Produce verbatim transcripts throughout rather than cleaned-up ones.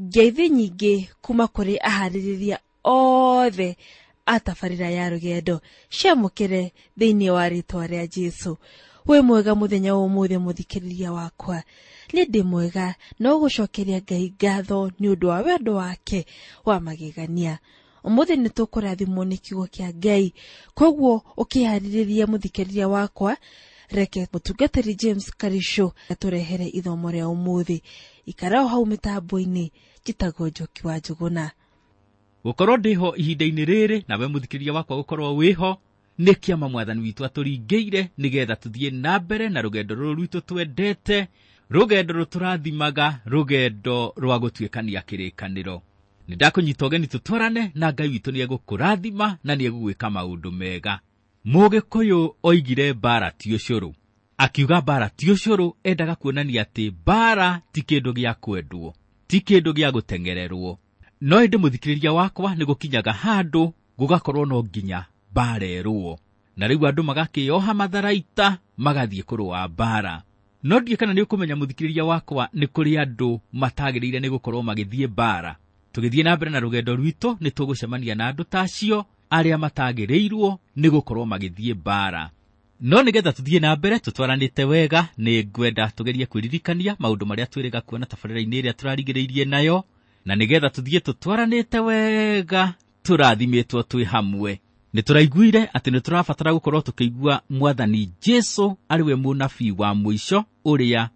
Ngeithi nyingĩ kuma kũrĩ aharĩrĩria othe a tabarĩra ya rũgendo ciamũkĩre thĩinĩ wa rĩtwa rĩa Jesũ. Wĩ mwega mũthenya wa ũmũthĩ mũthikĩrĩria wakwa. Nĩ ndĩ mwega no gũcokeria Ngai ngatho nĩ ũndũ wa wendo wake wa magegania. Ũmũthĩ nĩ tũkũrathimwo nĩ kiugo kĩa Ngai, koguo ũkĩharĩrĩria mũthikĩrĩria wakwa, reke mũtungatĩri James Karisho atũrehere ithomo rĩa ũmũthĩ. Ikara o hau mĩtambo-inĩ, njĩtagwo Njoki wa Njũgũna. Gũkorwo ndĩho ihinda-inĩ rĩrĩ nawe mũthikĩrĩria wakwa gũkorwo wĩho nĩ kĩama mwathani witũ atũringĩire nĩgetha tũthiĩ na mbere na rũgendo rũrũ rwitũ twendete, rũgendo rũtũrathimaga, rũgendo rwa gũtuĩkania kĩrĩkanĩro. Nĩ ndakũnyita ũgeni tũtwarane na Ngai witũ nĩ egũkũrathima na nĩ egũgwĩka maũndũ mega. Mũgĩkũyũ oigire mbara ti ũcũrũ. Akiuga mbara ti ũcũrũ endaga kuonania atĩ mbara ti kĩndũ gĩa kwendwo, ti kĩndũ gĩa gũteng'ererwo. No ĩndĩ mũthikĩrĩria wakwa nĩ gũkinyaga handũ gũgakorwo no nginya mbara ĩrũo. Na rĩu andũ magakĩoha matharaita magathiĩ kũrũa mbara. No ndiũĩ kana nĩ ũkũmenya mũthikĩrĩria wakwa nĩ kũrĩ andũ matagĩrĩire nĩ gũkorwo magĩthiĩ mbara. Tũgĩthiĩ na mbere na rũgendo rwitũ nĩ tũgũcemania na andũ ta acio arĩa matagĩrĩirwo nĩ gũkorwo magĩthiĩ mbara. No nĩgetha tũthiĩ na mbere tũtwaranĩte wega, nĩ ngwenda tũgerie kwĩririkania maũndũ marĩa twĩrĩga kuona tabarĩra-inĩ ĩrĩa tũrarigĩrĩirie nayo, na nĩgetha tũthiĩ tũtwaranĩte wega tũrathimĩtwo twĩ hamwe. Nĩ tũraiguire atĩ nĩ tũrabatara gũkorwo tũkĩigua Mwathani Jesũ arĩ we mũnabii wa mũico ũrĩa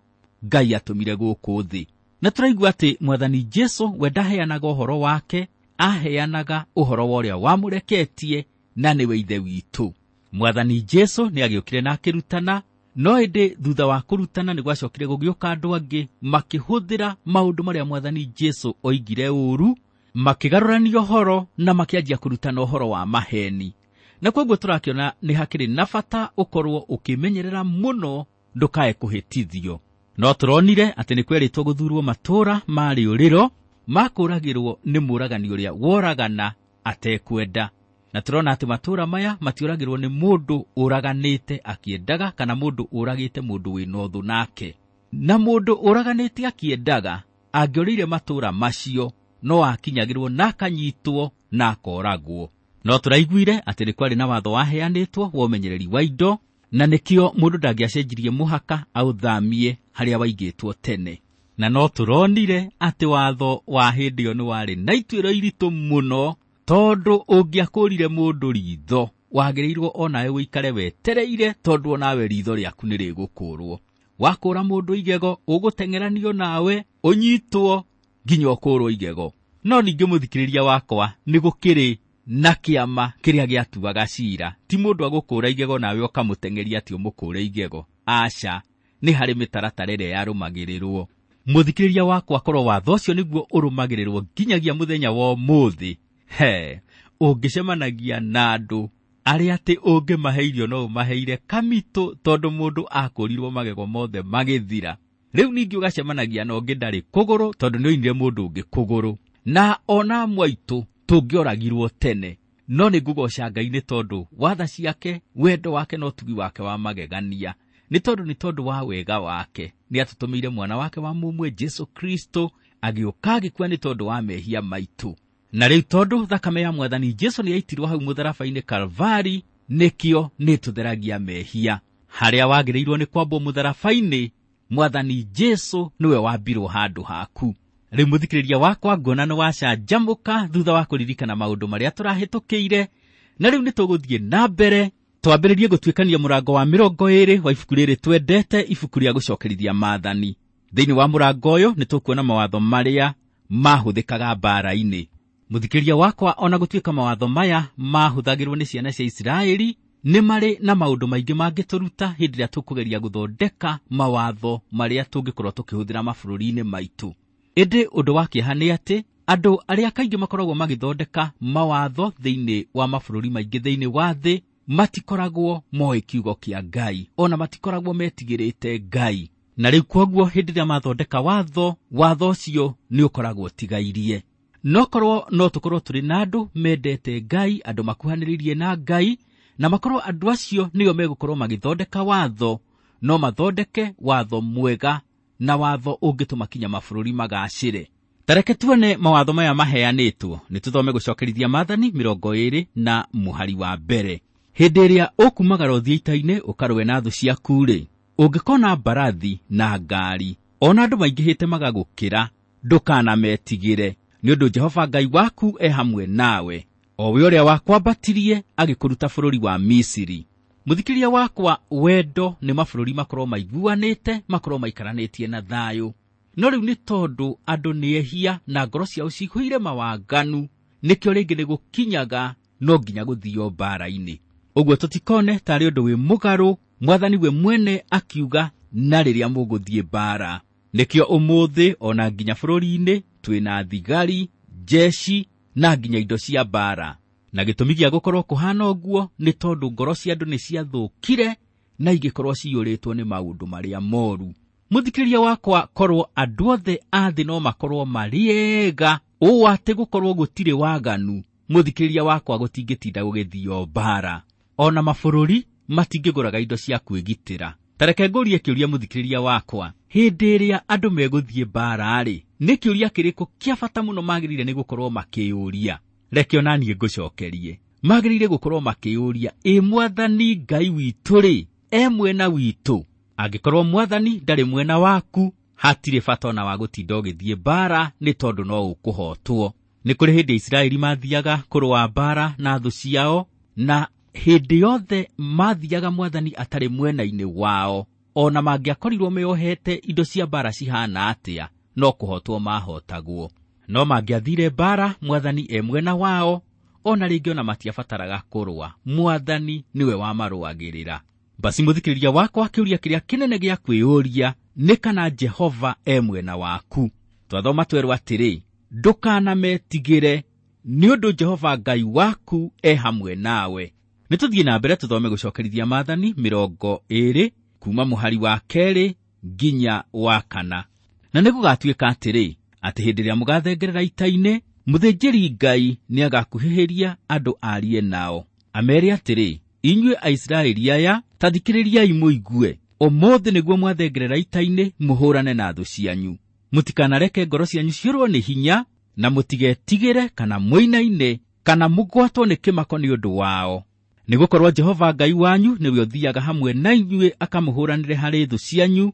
Ngai atũmire gũkũ thĩ. Na tũraigua atĩ Mwathani Jesũ we ndaheanaga ũhoro wake, aheanaga ũhoro wa ũrĩa wamũreketie na nĩwe Ithe witũ. Mwathani Jesũ nĩ agĩũkire na akĩrutana, no ĩndĩ thutha wa kũrutana nĩ gwacokire gũgĩũka andũ angĩ makĩhũthĩra maũndũ marĩa Mwathani Jesũ oigire ũru, makĩgarũrania ũhoro na makĩanjia kũrutana ũhoro wa maheni. Na koguo tũrakĩona nĩ hakĩrĩ na bata ũkorwo ũkĩmenyerera mũno ndũkae kũhĩtithio. No tũronire atĩ nĩ kwerĩtwo gũthurwo matũũra ma rĩũrĩro makũragĩrwo nĩ mũragani ũrĩa woragana atekwenda. Na tũrona atĩ matũũra maya matiũragĩrwo nĩ mũndũ ũraganĩte akĩendaga kana mũndũ ũragĩte mũndũ wĩna ũthũ nake. Na mũndũ ũraganĩte akĩendaga angĩorĩire matũũra macio no akinyagĩrwo na akanyitwo na akoragwo. No tũraiguire atĩ nĩ kwarĩ na watho waheanĩtwo wa ũmenyereri wa indo, na nĩkĩo mũndũ ndangĩacenjirie mũhaka aũthamie harĩa waigĩtwo tene. Na no tũronire atĩ watho wa hĩndĩ ĩyo nĩ warĩ na ituĩro iritũ mũno, tondũ ũngĩakũrire mũndũ ritho wagĩrĩirwo onawe ũikare wetereire, tondũ onawe ritho rĩaku nĩ rĩgũkũrwo. Wakũra mũndũ igego ũgũteng'eranio nawe ũnyitwo nginya ũkũrwo igego. No ningĩ mũthikĩrĩria wakwa nĩ gũkĩrĩ na kĩama kĩrĩa gĩatuaga cira. Ti mũndũ agũkũra igego nawe ũkamũteng'eria atĩ ũmũkũre igego. Aca, nĩ harĩ mĩtaratara ĩrĩa yarũmagĩrĩrwo. Mũthikĩrĩria wakwa, korwo watho ũcio nĩguo ũrũmagĩrĩrwo nginyagia mũthenya wa ũmũthĩ, he ũngĩcemanagia na andũ arĩa atĩ ũngĩmahe irio no ũmaheire kamitũ, tondũ mũndũ akũrirwo magego mothe magĩthira. Rĩu ningĩ ũgacemanagia na ũngĩ ndarĩ kũgũrũ, tondũ nĩ oinire mũndũ ũngĩ kũgũrũ. Na ona mwaitũ tũngĩoragirwo tene. No nĩ ngũgoca Ngai nĩ tondũ watha ciake, wendo wake na ũtugi wake wa magegania. Nĩ tondũ nĩ tondũ wa wega wake nĩ atũtũmĩire mwana wake wa mũmwe Jesũ Kristo, agĩũka agĩkua nĩ tondũ wa mehia maitũ. Na rĩu tondũ thakame ya Mwathani Jesũ nĩ yaitirwo hau mũtharaba-inĩ Kalvari, nĩkĩo nĩ tũtheragia mehia. Harĩa wagĩrĩirwo nĩ kwambwo mũtharaba-inĩ, Mwathani Jesũ nĩwe wambirwo handũ haku. Rĩu mũthikĩrĩria wakwa, nguona nĩ wacanjamũka thutha wa kũririkana maũndũ marĩa tũrahĩtũkĩire. Na rĩu nĩ tũgũthiĩ na mbere twambĩrĩrie gũtuĩkania mũrango wa mĩrongo ĩrĩ wa ibuku rĩrĩ twendete, ibuku rĩa gũcokerithia maathani. Thĩinĩ wa mũrango ũyũ nĩ tũkuona mawatho marĩa mahũthĩkaga mbara-inĩ. Mũthikĩrĩria wakwa, ona gũtuĩka mawatho maya mahũthagĩrwo nĩ ciana cia Isiraeli, nĩ marĩ na maũndũ maingĩ mangĩtũruta hĩndĩ ĩrĩa tũkũgeria gũthondeka mawatho marĩa tũngĩkorwo tũkĩhũthĩra mabũrũri-inĩ maitũ. Ĩndĩ ũndũ wa kĩeha nĩ atĩ andũ arĩa kaingĩ makoragwo magĩthondeka mawatho thĩinĩ wa mabũrũri maingĩ thĩinĩ wa thĩ matikoragwo moĩ kiugo kĩa Ngai, ona matikoragwo metigĩrĩte Ngai. Na rĩu kwoguo hĩndĩ ĩrĩa mathondeka watho, watho ũcio nĩ ũkoragwo ũtigairie. No korwo no tũkorwo tũrĩ na andũ mendete Ngai, andũ makuhanĩrĩirie na Ngai, na makorwo andũ acio nĩo megũkorwo magĩthondeka watho, no mathondeke watho mwega na watho ũngĩtũma kinya mabũrũri magacĩre. Tareke tuone mawatho maya maheanĩtwo. Nĩ tũthome gũcokerithia maathani mĩrongo ĩĩrĩ na mũhari wa mbere. Hĩndĩ ĩrĩa ũkumagara ũthiĩ ita-inĩ ũkarũe na thũ ciaku-rĩ, ũngĩkona mbarathi na ngari, ona andũ maingĩhĩte magagũkĩra, ndũkanametigĩre, nĩ ũndũ Jehova Ngai waku e hamwe nawe, o we ũrĩa wakwambatirie agĩkũruta bũrũri wa Misiri. Mũthikĩria wakwa, wendo nĩ mabũrũri makorwo maiguanĩte, makorwo maikaranĩtie na thayũ. No rĩu nĩ tondũ andũ nĩ ehia na ngoro ciao cihũire mawaganu, nĩkĩo rĩngĩ nĩ gũkinyaga no nginya gũthio mbara-inĩ. Ũguo tũtikone tarĩ ũndũ wĩ mũgarũ, mwathani we mwene akiuga na rĩrĩa mũgũthiĩ mbara. Nĩkĩo ũmũthĩ ona nginya bũrũri-inĩ twĩna thigari, jeshi na nginya indo cia mbara. Na gĩtũmi gĩa gũkorwo kũhana ũguo nĩ tondũ ngoro cia andũ nĩ ciathũkire na igĩkorwo ciyũrĩtwo nĩ maũndũ marĩa moru. Mũthikĩrĩria wakwa, korwo andũ othe a thĩ no makorwo marĩ ega ũũ atĩ gũkorwo gũtirĩ waganu, mũthikĩrĩria wakwa, gũtingĩtinda gũgĩthio mbara. Ona mabũrũri matingĩgũraga indo cia kwĩgitĩra. Tareke ngũrie kĩũria mũthikĩrĩria wakwa, hĩndĩ ĩrĩa andũ megũthiĩ mbara-rĩ, nĩ kĩũria kĩrĩkũ kĩa bata mũno magĩrĩire nĩ gũkorwo makĩyũria? Reke ona niĩ ngũcokerie. Magĩrĩire gũkorwo makĩyũria, ĩ mwathani Ngai witũ-rĩ, e mwena witũ? Angĩkorwo mwathani ndarĩ mwena waku, hatirĩ bata ona wa gũtinda ũgĩthiĩ mbara, nĩ tondũ no ũkũhotwo. Nĩ kũrĩ hĩndĩ Isiraeli mathiaga kũrũa mbara na thũ ciao, na hĩndĩ yothe mathiaga mwathani atarĩ mwena-inĩ wao, ona mangĩakorirwo meohete indo cia mbara cihana atĩa, no kũhotwo mahotagwo. No mangĩathire mbara mwathani e mwena wao, ona rĩngĩ ona matiabataraga kũrũa, mwathani nĩwe wamarũagĩrĩra. Basi mũthikĩrĩria wakwa, kĩũria kĩrĩa kĩnene gĩa kwĩyũria nĩ kana Jehova e mwena waku. Twathoma twerwo atĩrĩ, ndũkanametigĩre, nĩ ũndũ Jehova Ngai waku e hamwe nawe. Nĩ tũthiĩ na mbere tũthome gũcokerithia maathani mĩrongo ĩĩrĩ kuma mũhari wa kerĩ nginya wa kana. Na nĩ gũgatuĩka atĩrĩ, atĩ hĩndĩ ĩrĩa mũgathengerera ita-inĩ, mũthĩnjĩri Ngai nĩagakuhĩhĩria andũ arie nao, amere atĩrĩ, inyuĩ Aisiraeli aya, ta thikĩrĩriai mũigue, ũmũthĩ nĩguo mwathengerera ita-inĩ mũhũrane na thũ cianyu. Mũtikanareke ngoro cianyu ciũrwo nĩ hinya, na mũtigetigĩre kana mũinaine kana mũgwatwo nĩ kĩmako nĩ ũndũ wao. Nĩgũkorwo Jehova Ngai wanyu nĩwe ũthiaga hamwe na inyuĩ akamũhũranĩre harĩ thũ cianyu,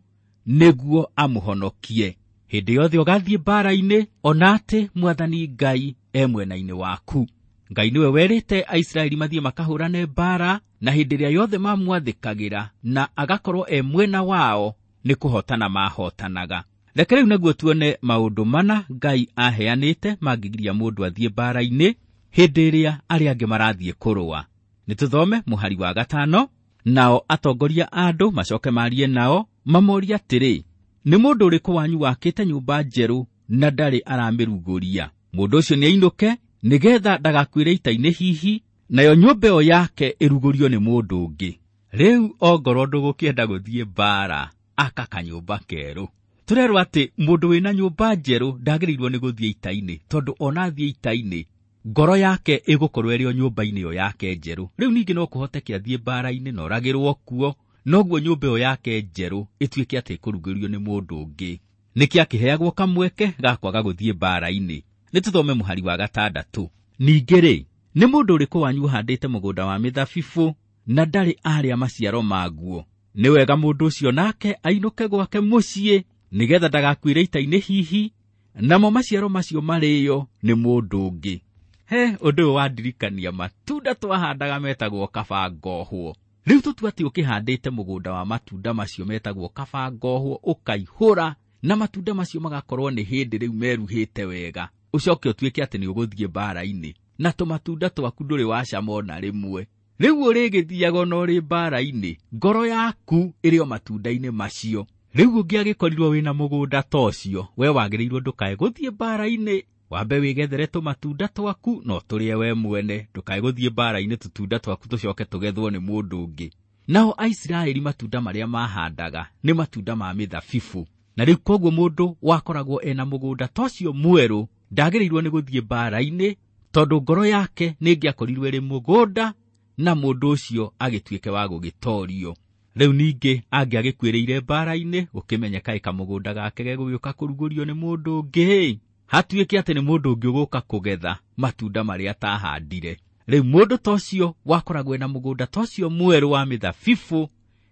nĩguo amũhonokie. Hĩndĩ yothe ũgathiĩ mbara-inĩ, ona atĩ mwathani Ngai e mwena-inĩ waku. Ngai nĩwe werĩte Aisiraeli mathiĩ makahũrane mbara, na hĩndĩ ĩrĩa yothe mamwathĩkagĩra na agakorwo e mwena wao, nĩ kũhotana mahotanaga. Reke rĩu naguo tuone maũndũ mana Ngai aheanĩte mangĩgiria mũndũ athiĩ mbara-inĩ hĩndĩ ĩrĩa arĩa angĩ marathiĩ kũrũa. Nĩ tũthome mũhari wa gatano. Nao atongoria a andũ macoke marie nao, mamorie atĩrĩ, nĩ mũndũ ũrĩkũ wanyu wakĩte nyũmba njerũ na ndarĩ aramĩrugũria? Mũndũ ũcio nĩainũke, nĩgetha ndagakuĩre ita-inĩ hihi, nayo nyũmba ĩyo yake ĩrugũrio nĩ mũndũ ũngĩ. Rĩu ongorwo ndũgũkĩenda gũthiĩ mbara, aka kanyũmba kerũ. Tũrerwo atĩ mũndũ wĩna nyũmba njerũ ndagĩrĩirwo nĩ gũthiĩ ita-inĩ, tondũ ona athiĩ ita-inĩ ngoro yake ĩgũkorwo ĩrĩ o nyũmba-inĩ ĩyo yake njerũ. Rĩu ningĩ no kũhoteke athiĩ mbara-inĩ na oragĩrwo kuo, noguo nyũmba ĩyo yake njerũ ĩtuĩke atĩ ĩkũrugũrio nĩ mũndũ ũngĩ. Nĩkĩ akĩheagwo kamweke ga kwaga gũthiĩ mbara-inĩ? Nĩ tũthome mũhari wa gatandatũ. Ningĩ rĩ, nĩ mũndũ ũrĩkũ wanyu ũhandĩte mũgũnda wa mĩthabibũ na ndarĩ arĩa maciaro maguo? Nĩ wega mũndũ ũcio nake ainũke gwake mũciĩ, nĩgetha ndagakuĩre ita-inĩ hihi, namo maciaro macio marĩo nĩ mũndũ ũngĩ. He ũndũ ũyũ wandirikania matunda twahandaga metagwo kabangohwo. Rĩu tũtua atĩ ũkĩhandĩte mũgũnda wa matunda macio metagwo kabangohwo, ũkaihũra na matunda macio magakorwo nĩ hĩndĩ rĩu meruhĩte wega, ũcoke ũtuĩke atĩ nĩ ũgũthiĩ mbara-inĩ na tũmatunda twaku ndũrĩ wacama ona rĩmwe. Rĩu ũrĩgĩthiaga ona ũrĩ mbara-inĩ, ngoro yaku ĩrĩ o matunda-inĩ macio. Rĩu ũngĩagĩkorirwo wĩna mũgũnda ta ũcio, we wagĩrĩirwo ndũkae gũthiĩ mbara-inĩ, wambe wĩgethere tũmatunda twaku no tũrĩe we mwene, ndũkae gũthiĩ mbara-inĩ tũtunda twaku tũcoke tũgethwo nĩ mũndũ ũngĩ. Nao Aisiraeli matunda marĩa mahandaga nĩ matunda ma mĩthabibũ, na rĩu koguo mũndũ wakoragwo ena mũgũnda ta ũcio mwerũ ndagĩrĩirwo nĩ gũthiĩ mbara-inĩ, tondũ ngoro yake nĩĩngĩakorirwo ĩrĩ mũgũnda na mũndũ ũcio agĩtuĩke wa gũgĩtorio. Rĩu ningĩ angĩagĩkuĩrĩire mbara-inĩ, gũkĩmenyeka ĩ kamũgũnda gake gegũgĩũka kũrugũrio nĩ mũndũ ũngĩ. Hatuĩke atĩ nĩ mũndũ ũngĩ ũgũka kũgetha matunda marĩa atahandire. Rĩu mũndũ ta ũcio wakoragwo na mũgũnda ta ũcio mwerũ wa mĩthabibũ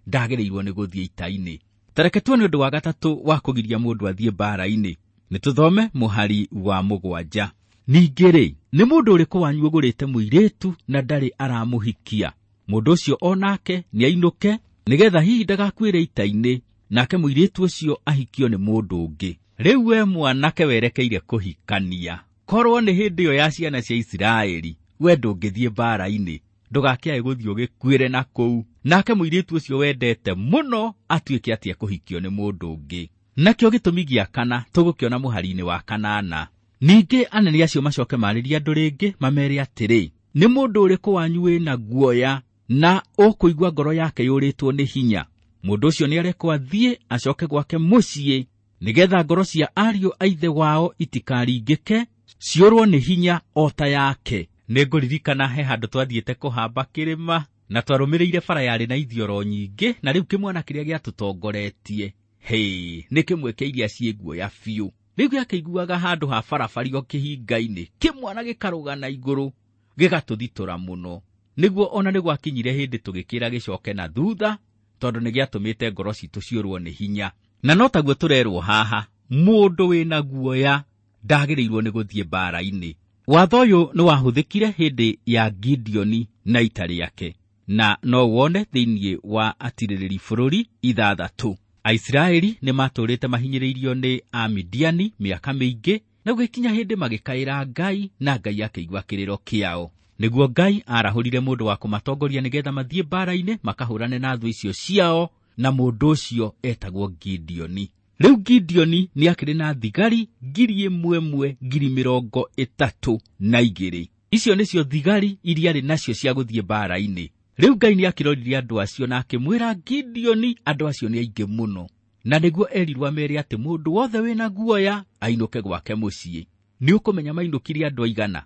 ndagĩrĩirwo nĩ gũthiĩ ita-inĩ. Tareke tuone ũndũ wa gatatũ wa kũgiria mũndũ athiĩ mbaara-inĩ. Nĩ tũthome mũhari wa mũgwanja. Ningĩ rĩ, nĩ mũndũ ũrĩkũ wanyu ũgũrĩte mũirĩtu na ndarĩ aramũhikia? Mũndũ ũcio o nake nĩainũke, nĩgetha hihi ndagakuĩre ita-inĩ, nake mũirĩtu ũcio ahikio nĩ mũndũ ũngĩ. Rĩu we mwanake werekeire kũhikania, korwo nĩ hĩndĩ ĩyo ya ciana cia Isiraeli, we ndũngĩthiĩ mbaara-inĩ, ndũgakĩae gũthiĩ ũgĩkuĩre na kũu, nake mũirĩtu ũcio wendete mũno atuĩke atĩ ekũhikio nĩ mũndũ ũngĩ. Nakĩo gĩtũmi gĩa kana tũgũkĩona mũhari-inĩ wa kanana. Ningĩ anene acio macoke marĩrie andũ rĩngĩ mamere atĩrĩ, nĩ mũndũ ũrĩkũ wanyu wĩna guoya na ũkũigua ngoro yake yũrĩtwo nĩ hinya? Mũndũ ũcio nĩarekwo athiĩ acoke gwake mũciĩ, nĩgetha ngoro cia ariũ a ithe wao itikaringĩke, ciũrwo nĩ hinya o ta yake. Nĩngũririkana he handũ twathiĩte kũhamba kĩrĩma na twarũmĩrĩire bara yarĩ na ithioro nyingĩ, na rĩu kĩmwana kĩrĩa gĩatũtongoretie hĩ nĩ kĩmwe kĩa iria ciĩ guoya biũ. Rĩu gĩakĩiguaga handũ ha barabara o kĩhinga-inĩ, kĩmwana gĩkarũga na igũrũ gĩgatũthitũra mũno. Nĩguo ona nĩ gwakinyire hĩndĩ tũgĩkĩra gĩcoke na thutha, tondũ nĩ gĩatũmĩte ngoro citũ ciũrwo nĩ hinya. Na no taguo tũrerwo haha, mũndũ wĩna guoya ndagĩrĩirwo nĩ gũthiĩ mbaara-inĩ. Watho ũyũ nĩ wahũthĩkire hĩndĩ ya Gideoni na ita rĩake, na no wone thĩinĩ wa atirĩrĩri bũrũri ithathatũ. Aisiraeli nĩ matũrĩte mahinyĩrĩirio nĩ Amidiani mĩaka mĩingĩ, na gũgĩkinya hĩndĩ magĩkaĩra Ngai, na Ngai akĩigua kĩrĩro kĩao. Nĩguo Ngai arahũrire mũndũ wa kũmatongoria nĩgetha mathiĩ mbaara-inĩ makahũrane na thũ icio ciao, na mũndũ ũcio etagwo Gideoni. Rĩu Gideoni nĩakĩrĩ na thigari ngiri ĩmwe ĩmwe ngiri mĩrongo ĩtatũ na igĩrĩ. Icio nĩcio thigari iria arĩ nacio cia gũthiĩ mbaara-inĩ. Rĩu Ngai nĩakĩroririe andũ acio na akĩmwĩra Gideoni andũ acio nĩ aingĩ mũno, na nĩguo erirwo amere atĩ mũndũ wothe wĩna guoya ainũke gwake mũciĩ. Nĩ ũkũmenya mainũkire andũ aigana?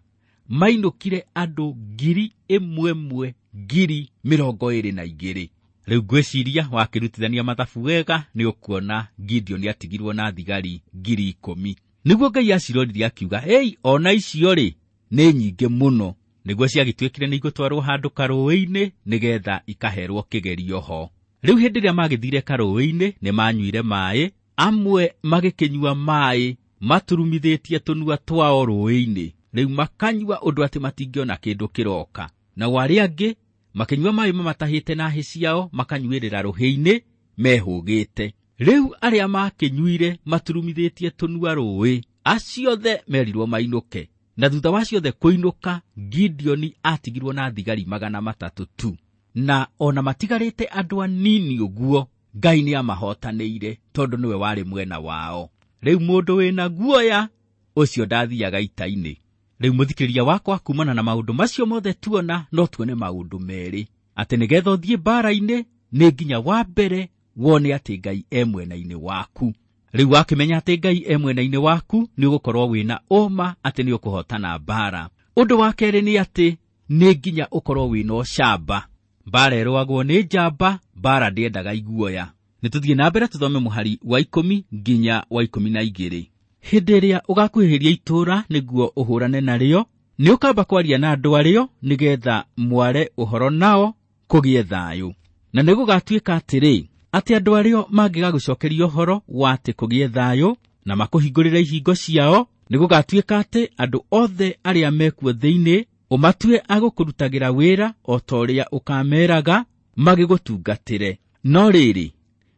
Mainũkire andũ ngiri ĩmwe ĩmwe ngiri mĩrongo ĩrĩ na igĩrĩ. Rĩu ngwĩciria wakĩrutithania mathabu wega nĩ ũkuona Gideoni atigirwo na thigari ngiri ikũmi. Nĩguo Ngai aciroririe akiuga, ei, ona icio rĩ nĩ nyingĩ mũno. Nĩguo ciagĩtuĩkire nĩ igũtwarwo handũ karũĩ-inĩ nĩgetha ikaherwo kĩgerio ho. Rĩu hĩndĩ ĩrĩa magĩthire karũĩ-inĩ nĩ manyuire maĩ, amwe magĩkĩnyua maĩ maturumithĩtie tũnua twao rũĩ-inĩ. Rĩu makanyua ũndũ atĩ matingĩona kĩndũ kĩroka. Nao arĩa angĩ makĩnyua maĩ mamatahĩte na hĩ ciao makanyuĩrĩra rũhĩ-inĩ mehũgĩte. Rĩu arĩa makĩnyuire maturumithĩtie tũnua rũĩ, acio othe merirwo mainũke. Na thutha wa ciothe kũinũka, Gideoni atigirwo na thigari magana matatũ tu. Na ona matigarĩte andũ anini ũguo, Ngai nĩamahotanĩire tondũ nĩwe warĩ mwena wao. Rĩu mũndũ wĩna guoya ũcio ndathiaga ita-inĩ. Rĩu mũthikĩrĩria wakwa, kumana na maũndũ macio mothe tuona, no tuone maũndũ merĩ, atĩ nĩgetha ũthiĩ mbaara-inĩ nĩ nginya wa mbere wone atĩ Ngai e mwena-inĩ waku. Rĩu wakĩmenya atĩ Ngai e mwena-inĩ waku, nĩ ũgũkorwo wĩna ũma atĩ nĩ ũkũhotana mbaara. Ũndũ wa kerĩ nĩ atĩ nĩ nginya ũkorwo wĩna ũcamba. Mbaara ĩrũagwo nĩ njamba, mbaara ndĩendaga iguoya. Nĩ tũthiĩ na mbere tũthome mũhari wa ikũmi nginya wa ikũmi na igĩrĩ. Hĩndĩ ĩrĩa ũgakuhĩrĩria itũũra nĩguo ũhũrane narĩo, nĩ ũkamba kwaria na andũ arĩo nĩgetha mware ũhoro nao kũgĩe thayũ. Na nĩ gũgatuĩka atĩrĩ, atĩ andũ arĩo mangĩgagũcokeria ũhoro wa atĩ kũgĩe thayũ na makũhingũrĩre ihingo ciao, nĩ gũgatuĩka atĩ andũ othe arĩa mekuo thĩinĩ ũmatue agũkũrutagĩra wĩra o ta ũrĩa ũkameraga magĩgũtungatĩre. No rĩrĩ,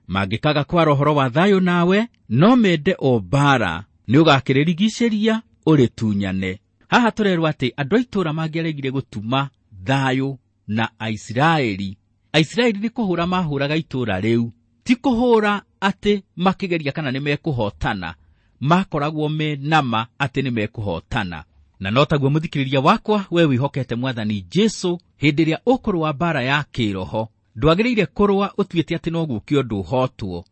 mangĩkaga kwara ũhoro wa thayũ nawe, no mende o mbaara, nĩ ũgakĩrĩrigicĩria ũrĩtunyane. Haha tũrerwo atĩ andũ a itũũra mangĩaregire gũtuma thayũ na Aisiraeli, Aisiraeli nĩ kũhũra mahũraga itũũra rĩu, ti kũhũra atĩ makĩgeria kana nĩ mekũhotana, makoragwo me nama atĩ nĩ mekũhotana. Na no taguo mũthikĩrĩria wakwa, we wĩhokete Mwathani Jesũ, hĩndĩ ĩrĩa ũkũrũa mbaara ya kĩroho, ndwagĩrĩire kũrũa ũtuĩte atĩ no gũũke ũndũ ũhotwo.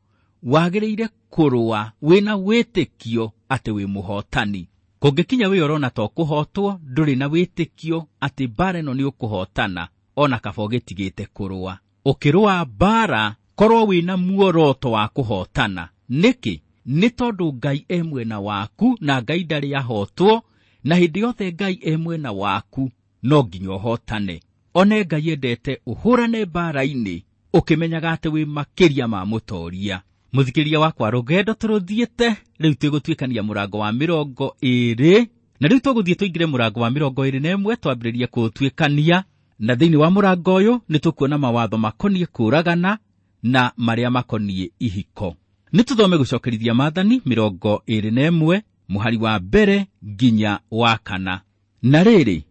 Wagĩrĩire kũrũa wĩna wĩtĩkio atĩ wĩ mũhotani. Kũngĩkinya wĩ ũrona ta ũkũhotwo, ndũrĩ na wĩtĩkio atĩ mbaara ĩno nĩ ũkũhotana, ona kaba ũgĩtigĩte kũrũa. Ũkĩrũa mbaara, korwo wĩna muoroto wa kũhotana. Nĩkĩ? Nĩ tondũ Ngai e mwena waku na Ngai ndarĩ ahotwo, na hĩndĩ yothe Ngai e mwena waku no nginya ũhotane. One Ngai endete ũhũrane mbara-inĩ ũkĩmenyaga atĩ wĩ makĩria ma mũtoria. Mũthikĩrĩria wakwa, rũgendo tũrũthiĩte rĩu twĩgũtuĩkania mũrango wa mĩrongo ĩrĩ, na rĩu tũgũthiĩ tũingĩre mũrango wa mĩrongo ĩrĩ na ĩmwe twambĩrĩrie kũũtuĩkania. Na thĩinĩ wa mũrango ũyũ nĩ tũkuona mawatho makoniĩ kũũragana na marĩa makoniĩ ihiko. Nĩ tũthome gũcokerithia maathani mĩrongo ĩrĩ na ĩmwe mũhari wa mbere nginya wa kana. Na rĩrĩ,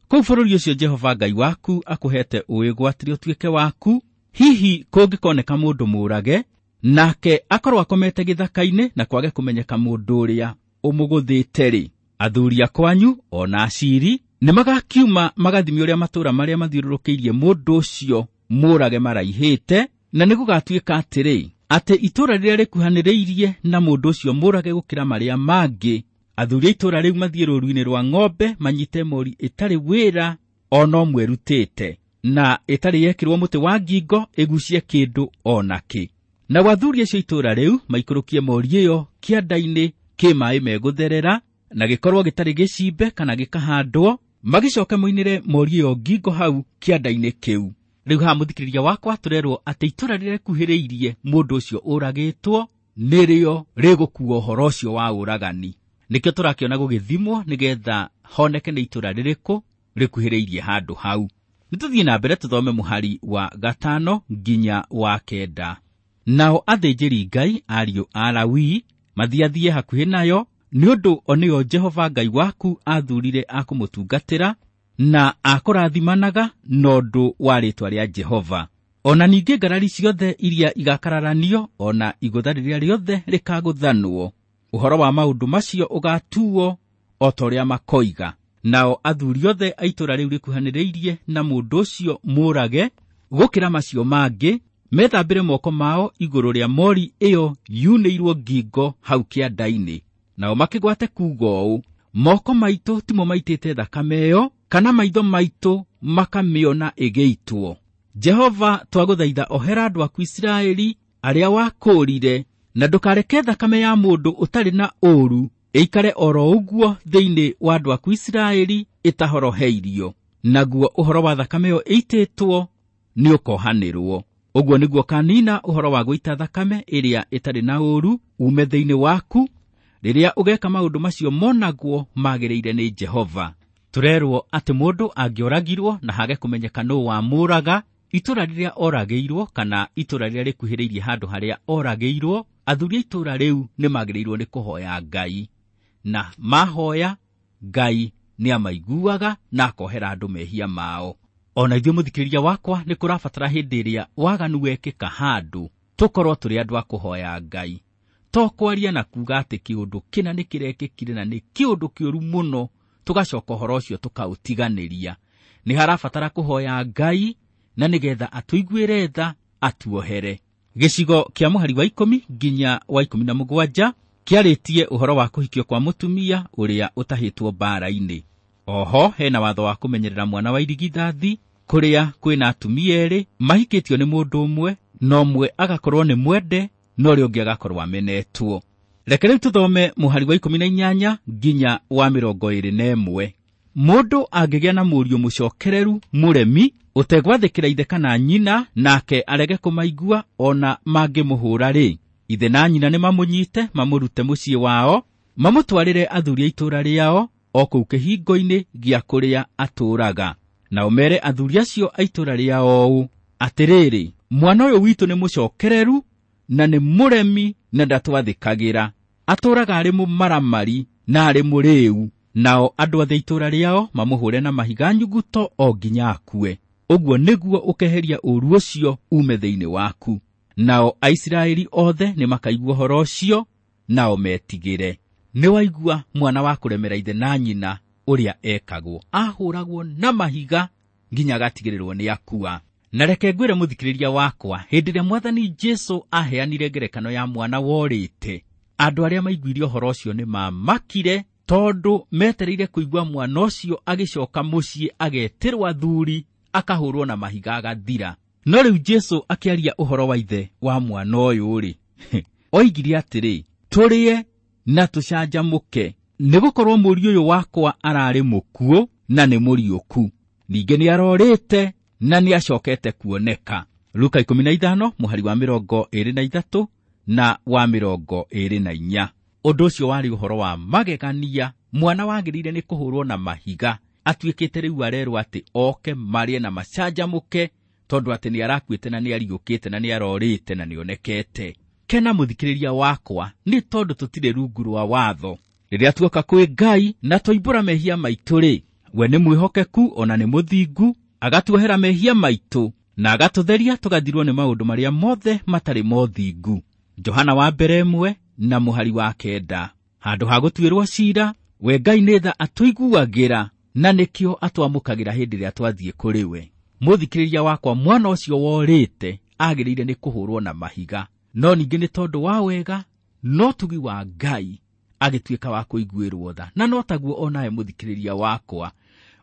kũu bũrũri ũcio Jehova Ngai waku akũhete ũwĩgwatĩre ũtuĩke waku, hihi kũngĩkoneka mũndũ mũũrage nake akorwo akomete gĩthaka-inĩ na kwage kũmenyeka mũndũ ũrĩa ũmũgũthĩte-rĩ, athuri a kwanyu ona aciri nĩmagakiuma magathime ũrĩa matũũra marĩa mathiũrũrũkĩirie mũndũ ũcio mũũrage maraihĩte, na nĩgũgatuĩka atĩrĩ, atĩ itũũra rĩrĩa rĩkuhanĩrĩirie na mũndũ ũcio mũũrage gũkĩra marĩa mangĩ, athuri a itũũra rĩu mathiĩ rũũru-inĩ rwa ng'ombe manyite mori ĩtarĩ wĩra ona ũmwe ĩrutĩte, na ĩtarĩ yekĩrwo mũtĩ wa ngingo ĩgucie kĩndũ ona kĩ. Nao athuri acio itũũra rĩu maikũrũkie mori ĩyo kĩanda-inĩ kĩ maaĩ megũtherera, na gĩkorwo gĩtarĩ gĩcimbe kana gĩkahandwo, magĩcoke moinĩre mori ĩyo ngingo hau kĩanda-inĩ kĩu. Rĩu haha mũthikĩrĩria wakwa tũrerwo atĩ itũũra rĩrĩa rĩkuhĩrĩirie mũndũ ũcio ũragĩtwo nĩrĩo rĩgũkua ũhoro ũcio wa ũragani. Nĩkĩo tũrakĩona gũgĩthimwo nĩgetha honeke nĩ itũũra rĩrĩkũ rĩkuhĩrĩirie handũ hau. Nĩtũthiĩ na mbere tũthome mũhari wa gatano nginya wa kenda. Nao athĩnjĩri Ngai ariũ a Lawi mathiathiĩ hakuhĩ nayo, nĩ ũndũ o nĩo Jehova Ngai waku athurire a kũmũtungatĩra na akũrathimanaga na ũndũ wa rĩĩtwa rĩa Jehova. Ona ningĩ ngarari ciothe iria igakararanio, ona igũtha rĩrĩa rĩothe rĩkagũthanwo, ũhoro wa maũndũ macio ũgatuo o ta ũrĩa makoiga. Nao athuri othe a itũũra rĩu rĩkuhanĩrĩirie na mũndũ ũcio mũũrage gũkĩra macio mangĩ, methambĩre moko mao igũrũ rĩa mori ĩyo yunĩirwo ngingo hau kĩanda-inĩ. Nao makĩgwate kuuga ũũ, moko maitũ timo maitĩte thakame ĩyo, kana maitho maitũ makamĩona ĩgĩitwo. Jehova, twagũthaitha ohera andũ aku Isiraeli arĩa wakũũrire, na ndũkareke thakame ya mũndũ ũtarĩ na ũũru ĩikare oro ũguo thĩinĩ wa andũ aku Isiraeli ĩtahoroheirio. Naguo ũhoro wa thakame ĩyo ĩitĩtwo nĩũkohanĩrwo. Ũguo nĩguo kanina ũhoro wa gũita thakame ĩrĩa ĩtarĩ na ũũru ume thĩinĩ waku, rĩrĩa ũgeka maũndũ macio monagwo magĩrĩire nĩ Jehova. Tũrerwo atĩ mũndũ angĩoragirwo na hage kũmenyeka nũũ wamũũraga, itũũra rĩrĩa oragĩirwo kana itũũra rĩrĩa rĩkuhĩrĩirie handũ harĩa oragĩirwo, athuri a itũũra rĩu nĩmagĩrĩirwo nĩ kũhoya Ngai, na mahoya Ngai nĩamaiguaga na akohera andũ mehia mao. Ona ithuĩ mũthikĩrĩria wakwa, nĩ kũrabatara hĩndĩ ĩrĩa waganu wekĩka handũ tũkorwo tũrĩ andũ a kũhoya Ngai, to kwaria na kuuga atĩ kĩũndũ kĩna nĩ kĩrekĩkire na nĩ kĩũndũ kĩũru mũno, tũgacoka ũhoro ũcio tũkaũtiganĩria. Nĩ harabatara kũhoya Ngai na nĩgetha atũiguĩre tha atuohere. Gĩcigo kĩa mũhari wa ikũmi nginya wa ikũmi na mũgwanja kĩarĩtie ũhoro wa kũhikio kwa mũtumia ũrĩa ũtahĩtwo mbaara-inĩ. Oho hena watho wa kũmenyerera mwana wa irigithathi, kũrĩa kwĩna atumia erĩ mahikĩtio nĩ mũndũ ũmwe, na ũmwe agakorwo nĩ mwende na ũrĩa ũngĩ agakorwo amenetwo. Reke rĩu tũthome mũhari wa ikũmi na inyanya nginya wa mĩrongo ĩrĩ na ĩmwe. Mũndũ angĩgĩa na mũriũ mũcokereru mũremi ũtegwathĩkĩra ithe kana nyina, nake arege kũmaigua ona mangĩmũhũra-rĩ, ithe na nyina nĩmamũnyite mamũrute mũciĩ wao, mamũtwarĩre athuri a itũũra rĩao o kũu kĩhingo-inĩ gĩa kũrĩa atũũraga. Nao mere athuri acio a itũũra rĩao ũũ, atĩrĩrĩ, mwana ũyũ witũ nĩ mũcokereru na nĩ mũremi na ndatwathĩkagĩra, atũũraga arĩ mũmaramari na arĩ mũrĩu. Nao andũ othe itũũra rĩao mamũhũre na mahiga nyuguto o nginya akue. Ũguo nĩguo ũkeheria ũũru ũcio ume thĩinĩ waku. Nao Aisiraeli othe nĩmakaigua ũhoro ũcio, nao metigĩre. Nĩwaigua mwana wa kũremera ithe na nyina ũrĩa ekagwo, ahũragwo na mahiga nginya agatigĩrĩrwo nĩ akua. Na reke ngwĩre mũthikĩrĩria wakwa, hĩndĩ ĩrĩa Mwathani Jesũ aheanire ngerekano ya mwana worĩte, andũ arĩa maiguire ũhoro ũcio nĩmamakire, tondũ metereire kũigua mwana ũcio agĩcoka mũciĩ agetĩrwo athuri, akahũrwo na mahiga agathira. No rĩu Jesũ akĩaria ũhoro wa ithe wa mwana ũyũ-rĩ, oigire atĩrĩ, Tũrĩe na tũcanjamũke, nĩgũkorwo mũriũ ũyũ wakwa ararĩ mũkuũ na nĩ mũriũku, ningĩ nĩarorĩte na nĩacokete kuoneka. Luka ikũmi na ithano mũhari wa mĩrongo ĩrĩ na ithatũ na wa mĩrongo ĩrĩ na inya. Ũndũ ũcio warĩ ũhoro wa magegania. Mwana wagĩrĩire nĩ kũhũrwo na mahiga atuĩkĩte rĩu arerwo atĩ oke marĩe na macanjamũke, tondũ atĩ nĩarakuĩte na nĩariũkĩte na nĩarorĩte na nĩonekete. Kena mũthikĩrĩria wakwa, nĩ tondũ tũtirĩ rungu rwa watho. Rĩrĩa tuoka kwĩ Ngai na twoimbũra mehia maitũ rĩ, we nĩ mwĩhokeku ona nĩ mũthingu, agatuohera mehia maitũ na agatũtheria tũgathirwo nĩ maũndũ marĩa mothe matarĩ mothingu. Johana wa mbere ĩmwe na mũhari wa kenda. Handũ ha gũtuĩrwo ciira, we Ngai nĩ tha atũiguagĩra na nĩkĩo atwamũkagĩra hĩndĩ ĩrĩa twathiĩ kũrĩ we. Mũthikĩrĩria wakwa, mwana ũcio worĩte agĩrĩire nĩ kũhũrwo na mahiga, no ningĩ nĩ tondũ wa wega no tugi wa Ngai agĩtuĩka wa kũiguĩrwo tha. Na no taguo onawe mũthikĩrĩria wakwa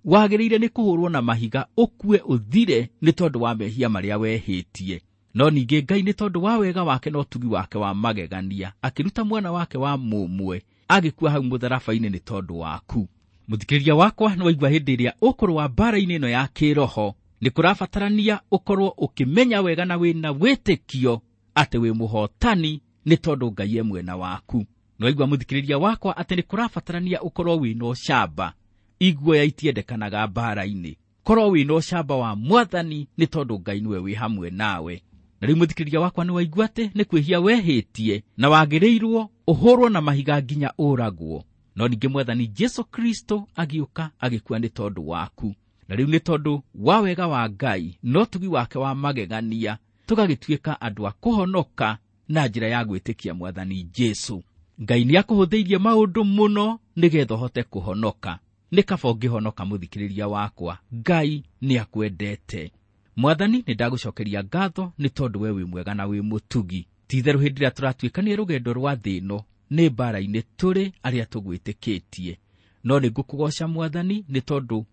wagĩrĩire nĩ kũhũrwo na mahiga ũkue ũthire nĩ tondũ wa mehia marĩa wehĩtie. No ningĩ Ngai nĩ tondũ wa wega wake na ũtugi wake wa magegania akĩruta mwana wake wa mũmwe agĩkua hau mũtharaba-inĩ nĩ tondũ waku. Mũthikĩrĩria wakwa, nĩ waigua hĩndĩ ĩrĩa ũkũrũa mbara-inĩ ĩno ya kĩroho nĩ kũrabatarania ũkorwo ũkĩmenya wega na wĩna wĩtĩkio atĩ wĩ mũhotani nĩ tondũ Ngai e mwena waku. Nĩ waigua mũthikĩrĩria wakwa atĩ nĩ kũrabatarania ũkorwo wĩna ũcamba. Iguoya itiendekanaga mbara-inĩ. Korwo wĩna ũcamba wa Mwathani nĩ tondũ Ngai nĩwe wĩ hamwe nawe. Na rĩu mũthikĩrĩria wakwa, nĩ waigua atĩ nĩ kwĩhia wehĩtie na wagĩrĩirwo ũhũrwo na mahiga nginya ũragwo. No ningĩ Mwathani Jesu Kristo agĩũka agĩkua nĩ tondũ waku. Na rĩu nĩ tondũ wa wega wa Ngai no tugi wake wa magegania tũgagĩtuĩka andũ a kũhonoka na njĩra ya gwĩtĩkia Mwathani Jesu. Ngai nĩakũhũthĩirie maũndũ mũno nĩgetha ũhote kũhonoka. Nĩ kaba ũngĩhonoka mũthikĩrĩria wakwa, Ngai nĩakwendete. Mwathani, nĩ ndagũcokeria ngatho nĩ tondũ we wĩ mwega na wĩ mũtugi. Ti-itherũ hĩndĩ ĩrĩa tũratuĩkania rũgendo rwa thĩ ĩno nĩ mbara-inĩ tũrĩ arĩa tũgwĩtĩkĩtie. No nĩ ngũkũgoca Mwathani nĩ tondũ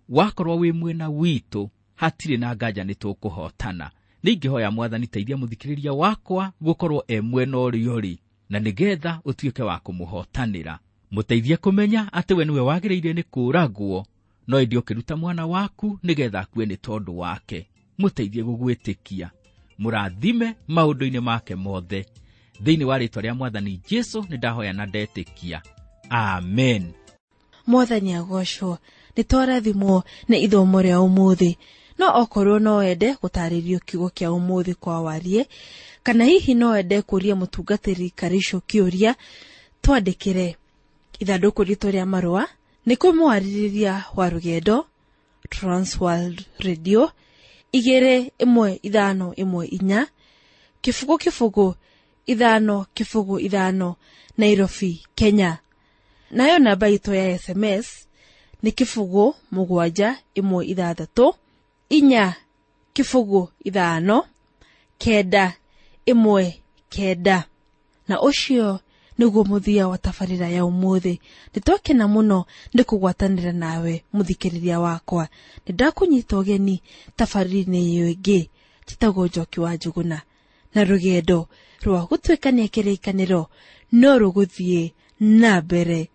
wakorwo wĩ mwena witũ hatirĩ na nganja nĩ tũkũhotana. Nĩ ingĩhoya Mwathani teithia mũthikĩrĩria wakwa gũkorwo e mwena ũrĩa ũrĩ, na nĩgetha ũtuĩke wa kũmũhotanĩra. Mũteithie kũmenya atĩ we nĩwe wagĩrĩire nĩ kũũragwo, no ĩndĩ ũkĩruta mwana waku nĩgetha akue nĩ tondũ wake. Mũteithie gũgwĩtĩkia, mũrathime maũndũ-inĩ make mothe. Thĩinĩ wa rĩĩtwa rĩa Mwathani Jesu nĩ ndahoya na ndetĩkia, amen. Mwathani agocwo. Nĩ twarathimwo nĩ ithomo rĩa ũmũthĩ. No okorwo no wende gũtarĩrio kiugo kĩa ũmũthĩ kwa warie, kana hihi no wende kũria mũtungatĩri Karisho kĩũria, twandĩkĩre ithandũkũ ritũ rĩa marũa nĩ kũmwarĩrĩria wa rũgendo Transworld Radio igĩrĩ ĩmwe ithano ĩmwe inya kĩbũgũ kĩbũgũ ithano kĩbũgũ ithano Nairobi, Kenya. Nayo namba itũ ya S M S nĩ kĩbũgũ mũgwanja ĩmwe ithathatũ inya kĩbũgũ ithano kenda ĩmwe kenda. Na ũcio nĩguo mũthia wa tabarĩra ya ũmũthĩ. Nĩtwakena mũno nĩ kũgwatanĩra nawe mũthikĩrĩria wakwa. Nĩndakũnyita ũgeni tabarĩra-inĩ ĩyo ĩngĩ njĩtagwo Njoki wa Njũgũna, na rũgendo rwa gũtuĩkania kĩrĩkanĩro no rũgũthiĩ na mbere.